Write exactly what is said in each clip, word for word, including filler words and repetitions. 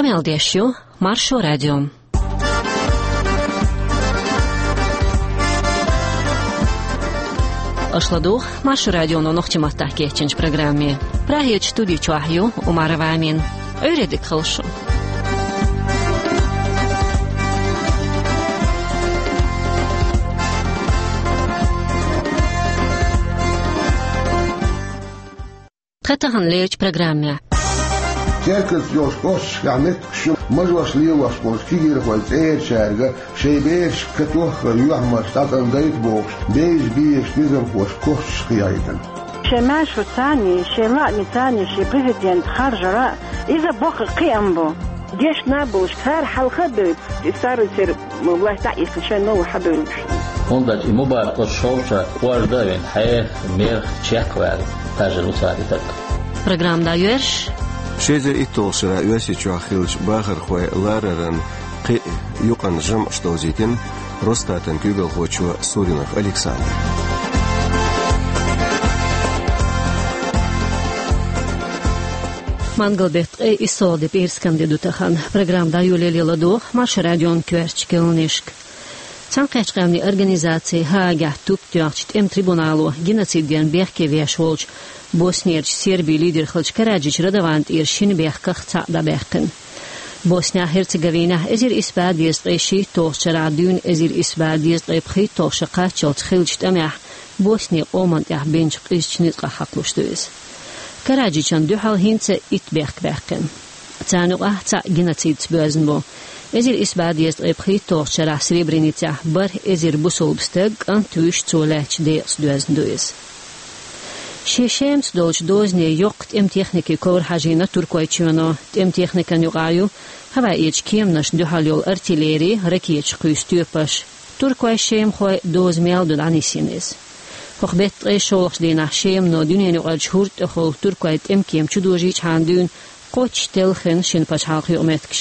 Къамел деш ю Маршо радио. Аша ладугӀу Маршо радионо нохчийн маттахь кечйинчу программе. Прагерчу студи чохь ю Умарова Амина. Ӏуьйре дика хуьлда шун. Тхан тахана лерчу программехь. Теркалц йолчу кӀошташкахь меттигаш ю, мажош лелош болчу кегийрхойн цӀерачаьрга шайн бераш катоххара юьхьмарш дӀатӀам дайта бохуш, бевза безачу низамхоша косташ кхиайдина. Шайн маьршо царний, шайн лаамий царний шен президент харжара, иза боккха кхиам бу. Дешна болуш, цара хьалха а бевлла, и старый церан власть дӀа а йихкина, шайн новый хьабевлла. ХӀунда аьлча и Мубарак оцу шовчара кӀорда а вина, хьеха, мерах чекхваьлла, тажар ву цара и таг. Программа дӀайоьрзуш. Ши эзар итталгӀачу шарахь Оьрсийчохь хиллачу бахархойн лараран кхин а юкъанна жамӀаш довзийтина Росстатан куьйгалхочо Суринов Александра. Мангал-беттан ткъе иссалгӀа де, пӀераскан де ду тахана. Программа дӀайолале ладогӀа Маршо радион коьртачу керланашка. Цхьаьнакхеттачу къаьмнийн организаци Гаагехь туп тоьхначу тӀеман трибунало геноцидана бехке веш волчу Боснерчу Сербин лидер хиллачу Караджич Радован тӀера шина бехках цхьаъ дӀабаьккхина. Боснехь-Херцеговинехь эзар исс бӀе дезткъе шийтталгӀачу шарахь дуьйна эзар исс бӀе дезткъе пхийтталгӀа шо кхаччалц хиллачу тӀамехь Боснин къоман тӀехь бинчу къизачу ницкъах хьакхалуш ду иза. Караджичан дуьхьал хӀинца а итт бехк баьккхина. Царна юкъахь цхьаъ геноцидца боьзна бу. Эзар исс бӀе дезткъе пхийтталгӀачу шарахь Сребреницехь бархӀ эзар бусалба стаг, кӀант а вуьйш, цо лаьттачу декъаца доьзна ду иза. Шен Шемаца долчу дозане йоккха тӀеман техникин ковра хьажийна Туркойчоьно. ТӀеман техникан юкъахь ю хӀаваэчу кеманашна дуьхьал йолу артиллери, ракеташ кхуьйсу тоьпаш. Туркойн, шемахойн доза мел ду дӀанисйина иза. ХӀокху беттан ткъе шолгӀачу дийнахь Шемано дуьненан юкъарчу хӀорда тӀехула туркойн тӀемкема чудожийчхьана дуьйна кхоччуш телхина шина пачхьалкхан юкъаметтигаш.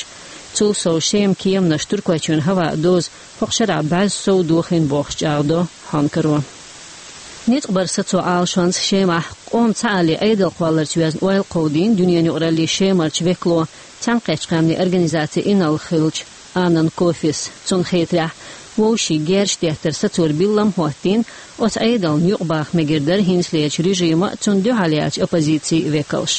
Цул сов Шеман кеманаш Туркойчоьнан хӀаваан доза хӀокху шарахь бӀе сов дохийна бохуш чӀагӀдо хьонкаро. Ницкъ баран сацо Ӏалашонца Шемахь къоман цхьааллин Ӏедал кхолларца йоьзна ойла кховдийна дуьненан юкъараллин Шемарчу векало, Цхьаьнакхеттачу къаьмнийн организацин инарла хиллачу Аннан Кофис. Цунна хетарехь, вовшийн герзаш деттаран сацор биллам а хӀоттийна, оцу Ӏедална юкъабаха мегар дара хӀинцалерчу режима а, цунна дуьхьал яьллачу оппозицин а векалш.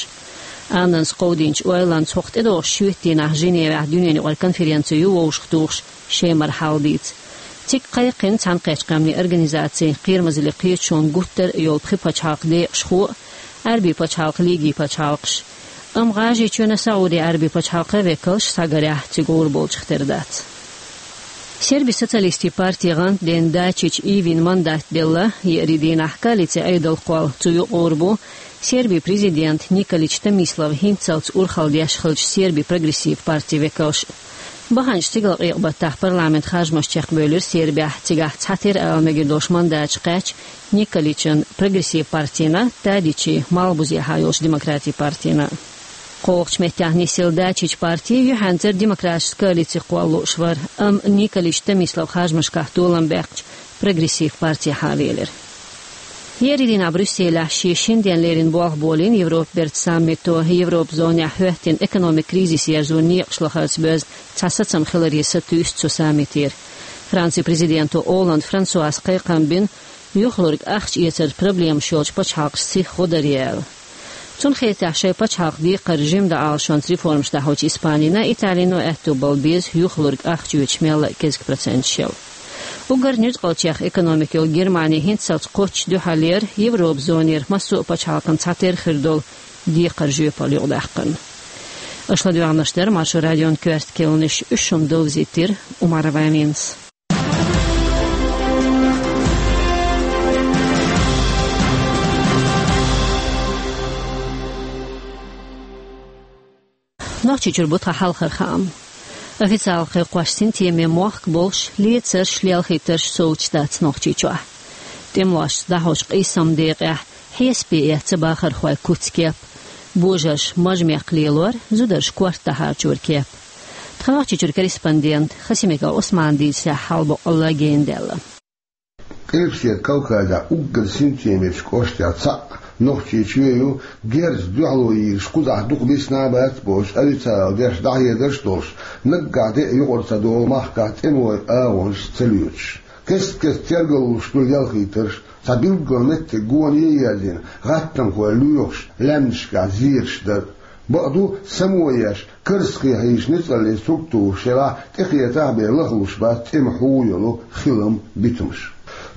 Аннанс кховдийначу ойланца хӀокху тӀедогӀучу шоьтан дийнахь Женевехь дуьненан юкъара конференци ю вовшахтухуш Шемара хьал дийца. Цига кхайкхийна Цхьаьнакхеттачу къаьмнийн организацин Кхерамазаллин кхеташонан гуттар а йолу пхи пачхьалкхан декъашхо а, Ӏаьрбийн пачхьалкх, Лигин пачхьалкхаш. Амма ГӀажарийчоьнан, СаӀудийн Ӏаьрбийн пачхьалкхан векалш схьагарехь цига гӀур болчух тера дац. Сербийн социалистийн партин гӀантден Дачич Ивин мандат делла. Еарин дийнахь коалицин Ӏедалх кхолла цу юкъа гӀур бу Сербин президент Николич Томислав хӀинццалц урхалла деш хиллачу Сербин прогрессив партин векалш. Баханчу стигалкъекъа-баттахь парламентан харжамаш чекхбевлира Сербехь, цигахь цхьатера ала мегар долуш мандаташ кхаьчна Николичан прогрессив партина, Тадичин малхбузехьа йолчу демократийн партина. КхоалгӀачу меттехь нисъелла Дачич парти юьхьанцара демократически коалици кхолла лууш вара, амма Николич Томислав харжамашкахь толам баьккхича прогрессив партехьа велира. Еарин дийнахь Брюсселехь шен шина денна леррина болх болийна Европан бертан саммито. Европан зонехь хӀоьттина экономикан кризис ерзоран некъаш лахарца боьзна цхьа сацам хиларе сатуьйсу цу саммитера. Францин президенто Олланд Франсуас кхайкхам бина, юхалург ахча эцаран проблемаш йолчу пачхьалкхашца сиха гӀо дар аьлла. Цунна хетарехь, шайн пачхьалкх декхар жима дан Ӏалашонца реформаш дӀахьочу Испанина, Италино аьтто бала беза юхалург ахча оьцуш мелла а кӀезиг проценташ яла. Уггар нуьцкъалчех экономика йолу Германи хӀинццалц кхоччуш дуьхьал яра Европан зонера массо а пачхьалкхан цхьатера хир долу декхаран жоьпалла юкъадаккхарна. Аша ладоьгӀнарш дара Маршо радион коьрта керланаш, уьш шуна довзийтира Умарова Аминас. Нохчийчуьра бу тхан хьалхара хаам. Официалан кхайкхош, синтеме мохк болуш, лецарш, лелхийтарш совцуш дац Нохчийчохь. ТӀемалошца дӀахьочу къийсаман декъехь хьесапе эцна бахархойн куц-кеп. Божарша мажа-мекх лелор, зударша корта дӀахьарчора кеп. Тхан Нохчийчуьра корреспондент Хасимиков Ӏусмана дийцарехь, хьал боккъалла гена даьлла. Къилбаседа Кавказехь уггар синтемерчу кӀоштех цхьаъ Нохчийчоь ю герзаца дуьхьало йийраш кхузахь дукха бисина а бац бохуш, официалан дешнаш дӀахьедарш а долуш, наггахь де а юкъара ца долу махкахь тӀемалойн агӀонаш ца лоьцуш. Кест-кеста тергаллуш ду ялхийтарш, цхьа билггал меттиг гоне а ерзийна, гӀаттамхой лоьхуш, лаьмнашкахь зераш дар. Бакъду, само еш, карзахе хьийзаш ницкъаллин структураш шарахь тӀекхетахь бен лахлуш бац тӀеман хьу йолу хилам, битамаш.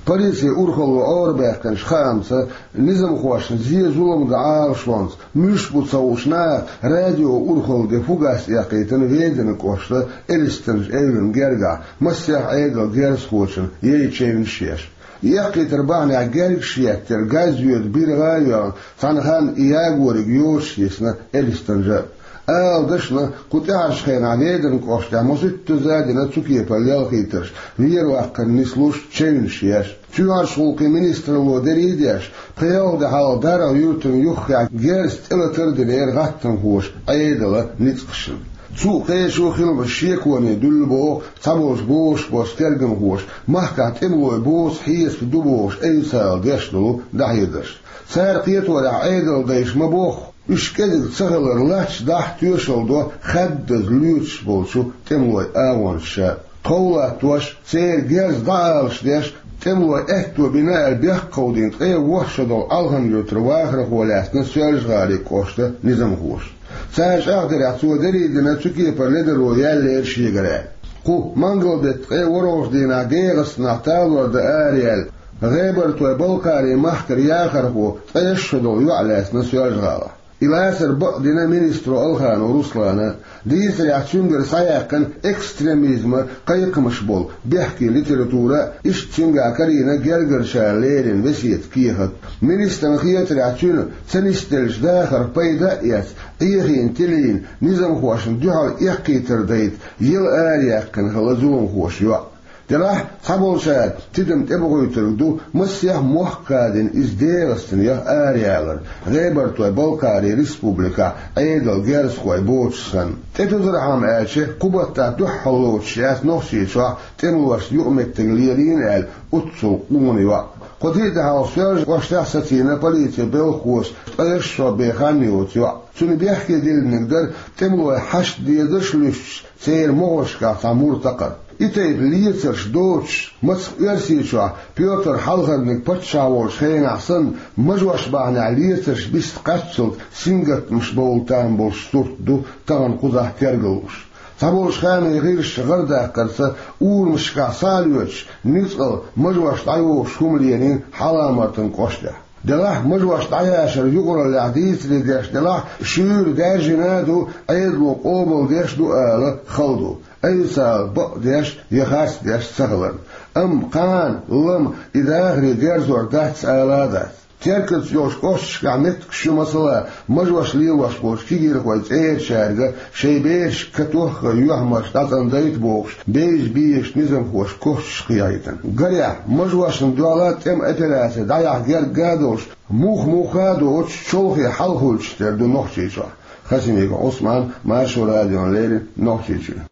Полицин урхалло Ӏорабаьккхинчу хаамца, низамхошна зен-зулам дан Ӏалашонца муьлш бу ца хууш наха радион урхалла де фугас эккхийтина Веданан кӀоштан Элистанжа эвлана гергахь массех Ӏедалан герзахочун яйчевнаш еш. Эккхийтар бахьанехь гергаш еттира, газ йоьду, биргӀа а йоьгӀна, цхьана ханна и ягориг йоцуш йисна Элистанжа. Ала дашна, кху тӀаьхьарчу хенахь Веданан кӀоштехь масийттаза а дина цу кепара ялхийтарш, вер-ваккхар нислуш, чевнаш еш. Чоьхьарчу гӀуллакхийн министралло дерриг а деш, пхи-ялх де хьалха ДаргӀа-Юьртана юххехь герз тӀелатар а динера гӀаттамхоша Ӏедалан ницкъашна. Цу а кхечу а хиламаш шеконе дуьллу боху цхьаболчу бозуш болчу тергамхоша, махкахь тӀемалой боцу хьесап ду бохуш официалан дешнаш долу дӀахьедарш. Цара кхеторехь, Ӏедалан дайша ма-бохху, уьш кӀезиг ца хилар латташ дахьа тоьшалла до хаддаза лоьцуш болчу тӀемалойн агӀончаша. Тхов латтош, церан герз дӀаалаш деш, тӀемалойн аьтто бина аьлла бехк кховдийна ткъе ворхӀ шо долу Алхан-Юьртара вахархо лаьцна Соьлжа-ГӀалин кӀоштан низамхоша. Цара чӀагӀдарехь, цо дерриг а дина цу кепара ледаро яьллера шегара аьлла. Кху мангал-беттан ткъе ворхӀалгӀачу дийнахь ДегӀастанахь талор дан араяьлла, ГӀебартойн-Балкхарин махкара яхархо ткъе шо долу йоӀ лаьцна Соьлжа-ГӀалахь. И лацар бакъдина министро Алханов Руслана. Дийцарехь, цуьнгара схьаяьккхина экстремизман кхайкхамаш болу бехке литература, иштта цуьнгахь карийна гергарчара леррина весетан кехат. Министрана хетарехь, цуьнан ца нисделлачу дахарх пайда а эцна, Ӏехийна, тилийна, низамхошна дуьхьал эккхийтар дайта яла араяьккхина хилла зуламхоша йоӀ. Делахь, цхьаболчара тидам тӀебохуьйтург ду, масех мохк кадина иза ДегӀастанех араяьлларг, ГӀебартойн-Балкхарин республикехь Ӏедалан герзахой боцуш санна. ТӀетузархьама аьлча, кху баттахь дуьххьарлоцуш яц Нохчийчохь тӀемалошна юкъаметтиг лелийна аьлла оццул къона йоӀ. Кху тӀе а тӀаьхьа Соьлжа кӀоштахь сацийна полицин белхахоша ткъе шо бен хан йоцу йоӀ. Цуьнан бехке диллинарг дара тӀемалойн хьашт дезарш а луьстуш, церан могӀаршкахь цхьа мур такхар. И тайпа лецарш доцуш, мацах Оьрсийчохь Пётр Хьалхарниг паччахь волчу хенахь санна, мажош бахьанехь лецарш биста кхаччалц сингаттамаш бовла там болуш сурт ду тахана кхузахь тергаллуш. Цхьаболчу хаамийн гӀирсаша гӀарадаккхарца, урамашкахь схьа а лоьцуш, нуьцкъала мажош дӀайогӀуш хӀума лелийна Хьаламартан кӀоштехь. Делахь, мажош дӀаяшар юкъараллехь дийцаре деш делахь, шуьйра даьржина а ду, Ӏедало къобалдеш а ду ала хала ду, официалан бакъдеш я харцдеш ца хиларна. Амма кхана, лама, и дахаре дерзор дац ала а дац. Теркаца йолчу кӀошташкахь меттигаш ю, масала, мажош лелош болчу кегийрхойн цӀерачаьрга шайн берашка катохха юьхьмарш дӀацӀандайта бохуш, бевза безачу низамхоша кошчаш кхехьийтина. Гарехь, мажошна дуьхьал тӀеман операци дӀаяхьа герга а долуш, мух-муха а доцуш, чолхе хьалхавуьлуш тера ду Нохчийчохь. Хасимиков Ӏусман, Маршо радиона леррина, Нохчийчуьра.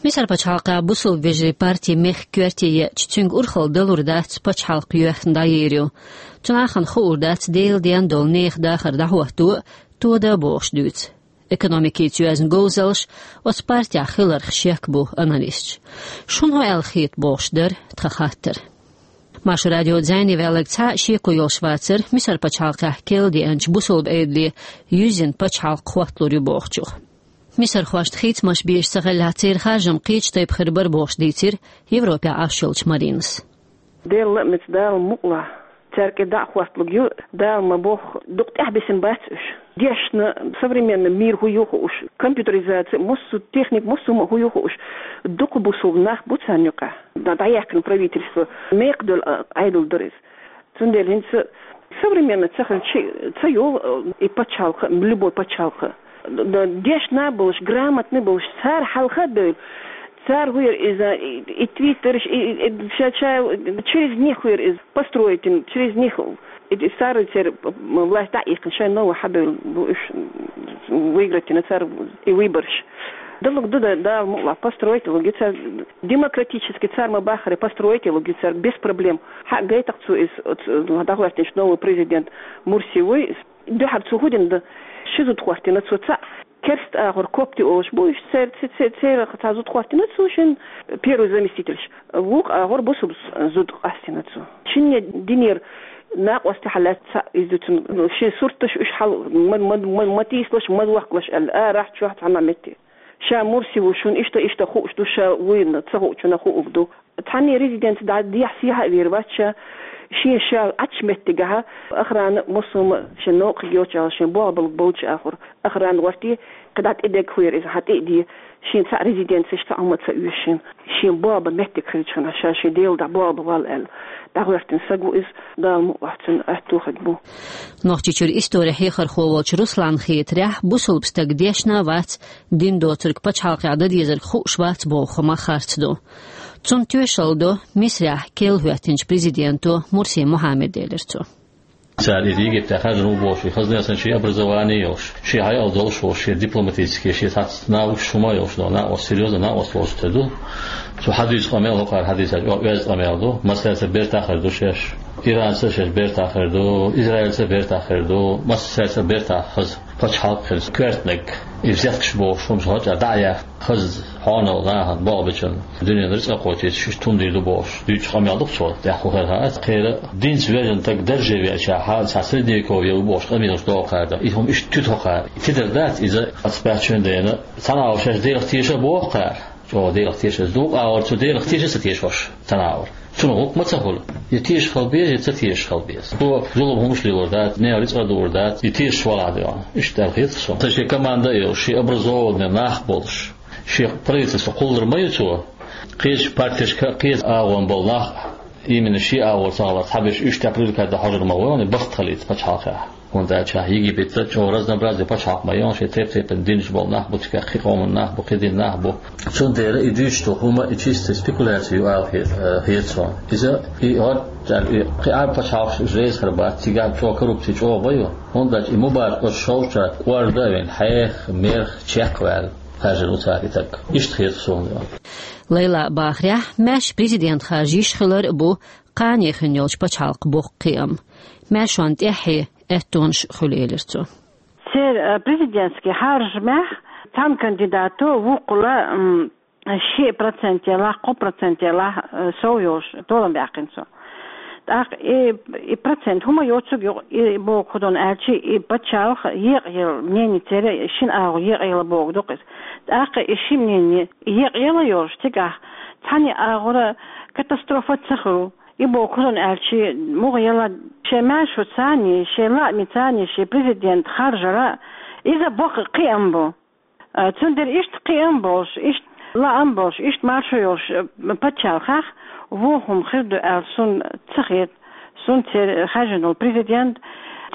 Мисар пачхьалкхехь бусалба вежарийн парти мехкан коьрте еъча, цуьнга урхалла далур дац пачхьалкх йоьхна дӀайийр ю. Цу нахана хуур дац Делан денна долу нехан дахар дӀахӀотто а, тода а бохуш дуьйцу. Экономикица йоьзна говзаллаш оцу партехь хиларх шек бу аналисташа. Шуна хӀун аьлла хета бохуш дара тхан хаттар. Маршо радион зӀене ваьлларг цхьа а шеко йолуш вацара Мисар пачхьалкхехь кхел деанчу бусалба Ӏедале юьззина пачхьалкх хӀотталур ю бохучух. Мисархошна хийцамаш безаш ца хиллехь, церан харжам кхечу тайпа хир бара бохуш дийцира Европехь Ӏаш йолчу Маринас. Делан лаамца, Дала мукъалахь, цаьрга дӀа а хӀотталург ю, Дала ма-бохху, дукха тӀаьхьабисина бац уьш. Дешна, современный мир хӀун ю хууш, компьютеризация, массо а техника, массо а хӀума хӀун ю хууш, дукха бусалба нах бу царна юкъахь. ДӀа-, дӀаяьккхина правительство, мекхадолу, а, Ӏедал дара иза. Цундела хӀинца современный ца хилча ца йолу, э, и пачхьалкх, любой пачхьалкх. Д-, д-, дешна а болуш, грамотный а болуш, цара хьалха а бевлла. Цара хӀун яра иза, и, и твиттерш, и, и, и ша-, ша-, через них хӀун яра иза построить йина, через них. И, и цара церан власть дӀа а иккхина, шайн новый хьабевлла бу уьш, выиграть йина цара и выбораш. Далург ду, да, Дала мукъалахь, построить йолург ю цара, демократически цара ма-баххара, построить йолург ю цара без проблем. Хьа гайтакх цо иза, оцу, дӀахӀоьттинчу новый президент Мурси вуй, Дуьхьар цо хӀу дина да? Ши зуда хӀоттийна цо. Цхьаъ керста агӀор копты олуш бу, уьш цер-, ц-, ц-, церан цхьа зуда хӀоттийна цо, шин первый заместительш. Вукху агӀор бусулба зуда къастийна цо. Шинне динера накъостий хьалаьцна цхьаъ иза ду цунна, ну, шен сурташ уьш хьал ма, ма, ма, ма тийсалаш, ма воккхалаш аьлла, арахь чохь цхьана метте. Ша Мурси ву, шуна иштта, иштта хууш ду, ша вуйна ца хуучунна хууг ду. Цхьанне резиденци дӀа дехьа-сехьа а вер вац ша, шен ша Ӏачу меттигахьа, охрана а, массо а шен новкъа йоцуш, шен болх бала болчу агӀор охрана гӀорте, кхидӀа тӀедега хӀуьйра иза хьан тӀе а де, шен цхьаъ резиденциш цхьа хӀума ца оьшу шен, шен болх бан меттиг хилча хьуна, ша шен Делан дӀа болх бан валла аьлла, дӀагӀоьртина саг ву иза, Дала мукъ лахь цунна аьтту хиг бу. Нохчийчуьра истори хьехархо волчу Русланна хетарехь, бусулба стаг дешна а вац, дин доцург пачхьалкхехь дан дезарг хууш вац боху хӀума харц ду. Цунна тоьшалла до Мисрехь керла хӀоьттинчу президенто Мурси Мухьаммада, элира цо. Цара иза Египте хаьржина ву бохуш, и хазна а санна шен образование а йолуш, шен хьекъал долуш волуш, шен дипломатический, шен схьацца навыкаш хӀума а йолуш, но накъост, серьёзно накъост волуш ца ду. Цо хьадуьйцу къамел хӀокхара хьадийцачу оьзда къамел ду, массаьрца бертахь хир ду шаьш. Иранца шаьш бертахь хир ду, Израильца бертахь хир ду, массаьрца бертахь хаза пачхьалкх хир, коьртаниг, и взяткаш бохуш хӀумаш гӀо чӀа дӀа а яьхна, хаза хьонал нахана болх бечунна дуьненан рицкъа кхочуьйтуш, иштта хӀума дийр ду бохуш, дуьйцучу къамел ду-кх цо, тӀаьхьа хӀу хир хаьа. Кхера динца вежарг стаг дарже веачахьа, цхьа средневековье ву бохуш къамелаш доху кхара, и хӀума иштта туьту хӀокхара. Тидар дац иза, ас баьхчун дена, цхьана агӀор шаьш Делах теша а боху кхара. ЧӀогӀа Делах теша. Дукха агӀор цу Делах теша а ца теша уьш цхьана агӀор. Цунах гӀуллакх ма ца хуьлу. Я теша хила беза, я ца теша хила беза. Цо зулам хӀумаш лелор дац, нехан рицкъа а дуур дац, и тешаш валахь а доьгӀна. Иштта аьлла хета суна. Сан шен команда а йолуш, шен образованный нах а болуш, шен правительство кхуллур ма ю цо. Кхечу партешка, кхечу агӀон болу нах а, именно шен агӀор ца хилар, цхьаберш уьш тӀе привлекать дан хьожур ма ву, барт хилийта пачхьалкхехь. ХӀунда аьлча Египет чӀогӀа разнообразный пачхьалкх ма ю, шен тайп-тайпана динаш болу нах бу, цигахь кхин къоман нах бу, кхин дин нах бу. Цундела и дуьйцуш долу хӀума и чисто спекуляция ю ала хе-, э, хета суна. Иза, и хӀорд-, и кхин Ӏарб пачхьалкхаш уьш реза хир бац, цигахь чӀогӀа коррупция чӀогӀа ма ю. ХӀунда аьлча и Мубарак оцу шовзткъа шарахь кӀорда а вина, хьеха, мерах чекхваьлла хаьржина ву цара и стаг. Иштта хета суна. Лайлан бахарехь, маьрша президент харжа йиш хилар а бу кхане хин йолчу пачхьалкхан боккха кхиам. Маьршонна тӀаьххье аьттонаш а хуьлу, элира цо. Церан, э, президентский хьаржамехь цхьана кандидато вукхула, м, ши процент елахь, кхо процент елахь, э, сов йолуш толам баьккхина цо. ТӀаккха и, и процент хӀума йоцург ю, и боху хӀун ду аьлча, и пачхьалкх екъаелла, мнение церан шина агӀор екъаелла бохург ду-кх иза. ТӀаккха и ши мнение екъаелла йолуш, цигахь цхьана агӀора катастрофа ца хуьлу. И боху хӀун ду аьлча, муха елла, шен маьршо царний, шен лаамий царний, шен президент харжара, иза боккха кхиам бу. Э, цундела иштта кхиам болуш, иштта лаам болуш, иштта маршо йолуш, э, пачхьалкхехь вон хӀума хир ду аьлла суна ца хета. Суна церан хаьржина волу президент,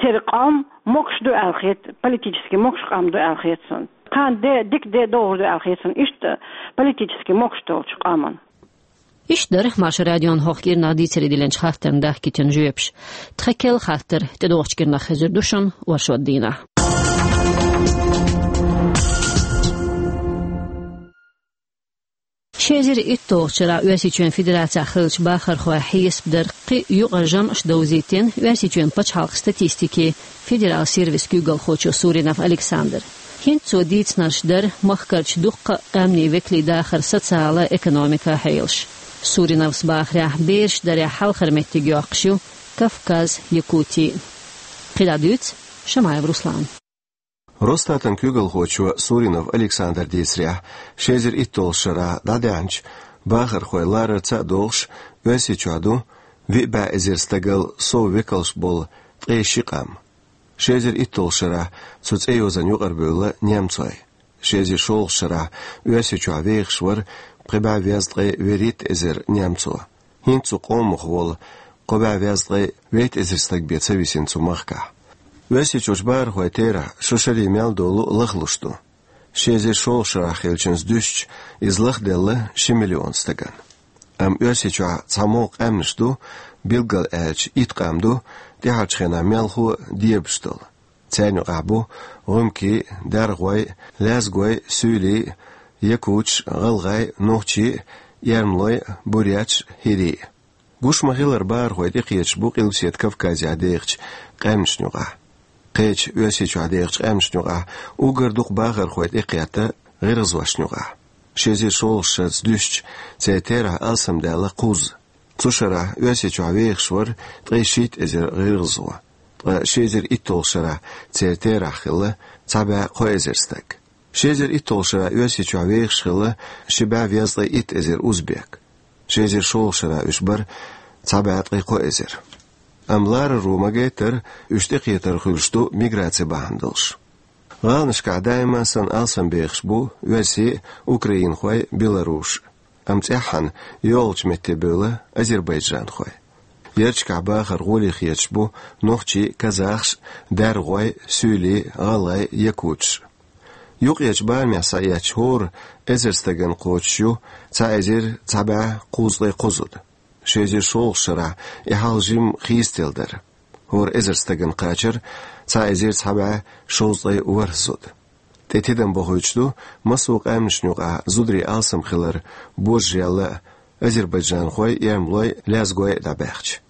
церан къам могуш ду аьлла хета, политически могуш къам ду аьлла хета суна. Кхана де, дика де догӀур ду аьлла хета суна, иштта политически могуш долчу къаман. Иштта дара Маршо радион хӀокху кӀирнах дийцаре диллинчу хаттарна дахкийтина жоьпаш. Тхан керла хаттар тӀедогӀучу кӀирнах хезар ду шуна оршот дийнахь. Ши эзар итталгӀачу шарахь Оьрсийчоьнан Федерацехь хиллачу бахархойн хьесап дара кхин юкъара жамӀаш довзийтина Оьрсийчоьнан пачхьалкхан статистикин федералан сервисан куьйгалхочо Суринов Александра. ХӀинца цо дийцинарш дара махкарчу дуккха а къаьмнийн векалийн дахаран социалан, экономикан хьелаш. Суриновс бахарехь, бераш дарехь хьалхара меттиг йоккхуш ю Кавказ, Якути. КхидӀа дуьйцу Шамаев Руслана. Росстатан куьйгалхочо Суринов Александра дийцарехь, ши эзар итталгӀачу шарахь дӀадаьхьначу бахархойн ларарца а догӀуш, Оьрсийчохь ду виъ бӀе эзар стагал сов векалш болу ткъе ши къам. Ши эзар итталгӀачу шарахь цу цӀе йозанна юкъарабевлла немцой. Ши эзар шолгӀачу шарахь Оьрсийчохь вехаш вара пхи бӀе везткъе вуьрхӀитта эзар немцо. ХӀинца цу къомах волу кхо бӀе везткъе вейтта эзар стаг бен ца висина цу махкахь. Оьрсийчуьрчу бахархойн терахь шо шаре мел долу лахлуш ду. Ши эзар шолгӀачу шарахь хиллачуьнца дуьстича, иза лахделла ши миллион стагана. Амма Оьрсийчохь цхьа могӀа къаьмнаш ду, билггал аьлча, итт къам ду, тӀаьхьарчу хенахь мелхо а дебаш долу. Царна юкъахь бу гӀумкий, даргой, лаьзгой, суьйлий, якуташ, гӀалгӀай, нохчий, эрмалой, буряташ, хӀирий. Гуш ма-хиллара, бахархой тӀекхеташ бу Къилбаседа Кавказехь дехачу къаьмнашна юкъахь. Кхечу Оьрсийчохь дехачу къаьмнашна юкъахь уггар дукха бахархой тӀекхетта гӀиргӀазошна юкъахь. Ши эзар шолгӀачу шарца дуьстича, церан терахь алсамдаьлла кхузза. Цу шарахь Оьрсийчохь вехаш вара ткъе шийтта эзар гӀиргӀазо, ткъа ши эзар итталгӀачу шарахь церан терахь хилла цхьа бӀе кхо эзар стаг. Ши эзар итталгӀачу шарахь Оьрсийчохь вехаш хилла ши бӀе везткъе итт эзар узбек. Ши эзар шолгӀачу шарахь уьш бара цхьа бӀе ткъе кхо эзар. Амма лараро ма-гайттара, уьш тӀекхетар хуьлуш ду миграци бахьана долуш. ГӀаланашкахь даима санна алсамбехаш бу оьрсий а, украинхой а, белорусаш а. Амма цӀеххьана йолчу метте бевлла азербайджанхой. Ярташкахь бахар гӀоле хеташ бу нохчий а, казахаш а, даргӀой а, суьйлий а, гӀалгӀай а, якуташ а. Юккъерчу барамехь схьаэцча, хӀора эзар стагана кхочуш ю цхьа эзар цхьа бӀе кхузткъе кхо зуда. Ши эзар шолгӀачу шарахь и хьал жимма хийцаделла дара. ХӀора эзар стагана кхачара цхьа эзар цхьа бӀе шовзткъе ворхӀ зуда. ТӀе тидам бохуьйтуш ду массо а къаьмнашна юкъахь зударийн алсам хилар божарелла а, азербайджанхой а, эрмалой а, лезгой а дӀабаьхча.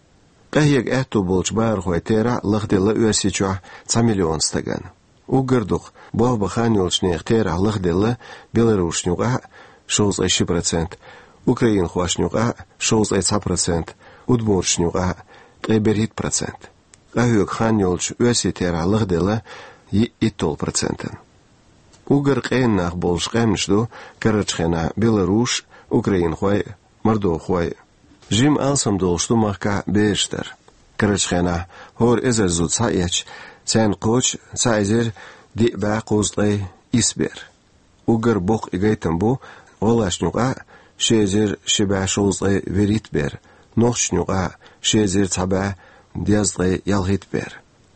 Къахьега аьтто болчу бахархойн терахь лахделла Оьрсийчохь цхьа миллион стагана. Уггар дукха болх бан хан йолчу нехан терахь лахделла белорусашна юкъахь а, шовзткъе ши процент, украинхошна юкъахь а, шовзткъе цхьа процент, удмурташна юкъахь а, ткъе берхӀитта процент. Къахьоьгу хан йолчу оьрсийн терахь лахделла йиъ итталгӀа процентана. Уггар къена нах болуш къаьмнаш ду карарчу хенахь белорусаш а, украинхой а, мордовхой а. Жимма алсам долуш ду махкахь бераш дар. Карарчу хенахь хӀора эзар зуда схьаэцча, царна кхочу цхьа эзар диъ бӀе кхузткъе исс бер. Уггар боккха и гайтам бу гӀалгӀашна юкъахь а, ши эзар ши бӀе шовзткъе вуьрхӀитта бер, нохчашна юкъахь а, ши эзар цхьа бӀе дезткъе ялхитта бер,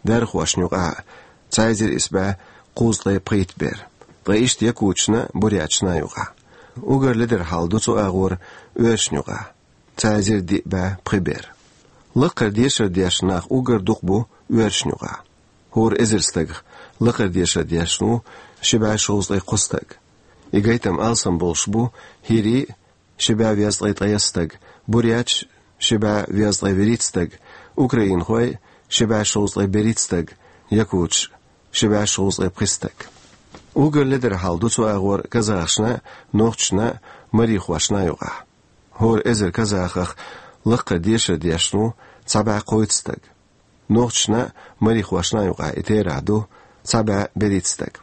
дархошна юкъахь а, цхьа эзар исс бӀе кхузткъе пхийтта бер, ткъа иштта якуташна а, буряташна а юкъахь. Уггар ледара хьал ду цу агӀор оьрсашна юкъахь, цхьа эзар диъ бӀе пхи бер. Лакхара дешар деш нах уггар дукха бу оьрсашна юкъахь. ХӀора эзар стагах лакхара дешар деш ву ши бӀе шовзткъе кхо стаг. И гайтам алсам болуш бу хӀирий а, ши бӀе везткъе ткъайесна стаг, буряташ а, ши бӀе везткъе вуьрхӀитта стаг, украинхой а, ши бӀе шовзткъе берхӀитта стаг, якуташ а, ши бӀе шовзткъе пхи стаг. Уггар ледара хьал ду цу агӀор казахашна а, нохчашна а, марихошна а юкъахь. ХӀора эзар казахах лакхара дешар деш ву цхьа бӀе кхойтта стаг. Нохчашна а, марихошна а юкъахь и терахь ду цхьа бӀе берхӀитта стаг.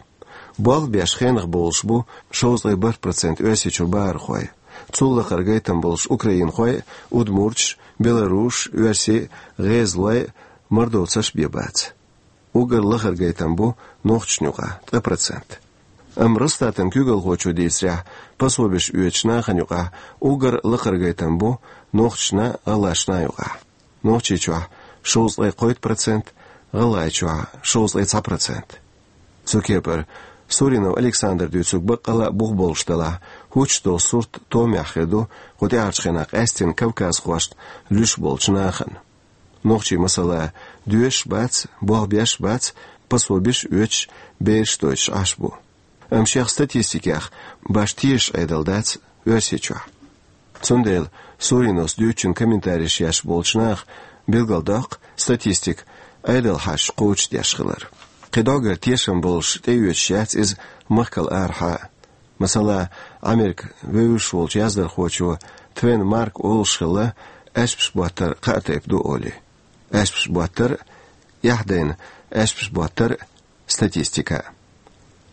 Болх беш хенах болуш бу шовзткъе бархӀ процент Оьрсийчуьра бахархой. Цул лакхара гайтам болуш украинхой а, удмурташ а, белорусаш а, оьрсий а, гӀезалой а, мордовцаш а бен бац. Уггар лахара гайтам бу нохчашна юкъахь, ткъа процент. Амма Росстатан куьйгалхочо дийцарехь, пособиш оьцучу нахана юкъахь уггар лакхара гайтам бу нохчашна а, гӀалгӀашна а юкъахь. Нохчийчохь шовзткъе кхойтта процент, ГӀалгӀайчохь шовзткъе цхьа процент. Цу кепара Суринов Александра дуьйцург баккъалла а бух болуш делахь, хӀуттуш долу сурт томехь хир ду кху тӀаьхьарчу хенахь къаьсттина кавказхошна луьйш болчу нахана. Нохчий, масала, доьшуш бац, болх беш бац, пособиш оьцуш, бераш дойтуш Ӏаш бу. Амма шех статистикех башха тешаш Ӏедал дац Оьрсийчохь. Цундела Суриновс дуьйцучун комментареш еш болчу наха билгалдоккху статистика Ӏедал хьашташ кхочушдеш хилар. Кхин дӀогара тешам болуш тӀеоьцуш яц иза махкал арахьа а. Масала, Америка вевзаш волчу яздархочо Твен Марк олуш хилла, аьшпаш боттар кхаа тайпа ду олий. Аьшпаш боттар а, эхь дайна аьшпаш боттар а, статистика а.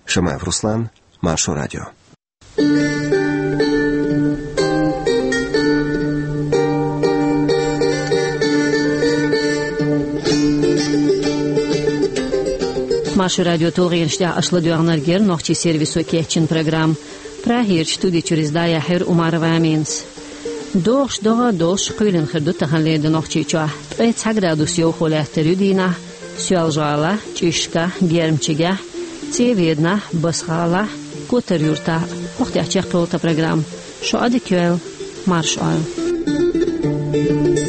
Шамаев Руслан, Маршо радио. Маршо радио тулгӀенаш тӀехь аша ладоьгӀнарг яра нохчийн сервисо кечйина программа. Прагерчу студи чуьра иза дӀаяьхьира Умарова Аминас. ДогӀуш догӀа а долуш, кхоьлина хир ду таханлера де Нохчийчохь. Ткъе цхьа градус йовхо лаьттар ю дийнахь Соьлжа-ГӀалахь, ЧӀишкахь, Гермчигехь, ЦӀе-Веданахь, Басса-ГӀалахь, Котар-Юьртахь. ХӀокху тӀехь чекхйолу тхан программа. Шун Ӏадика йойла, марша Ӏойла.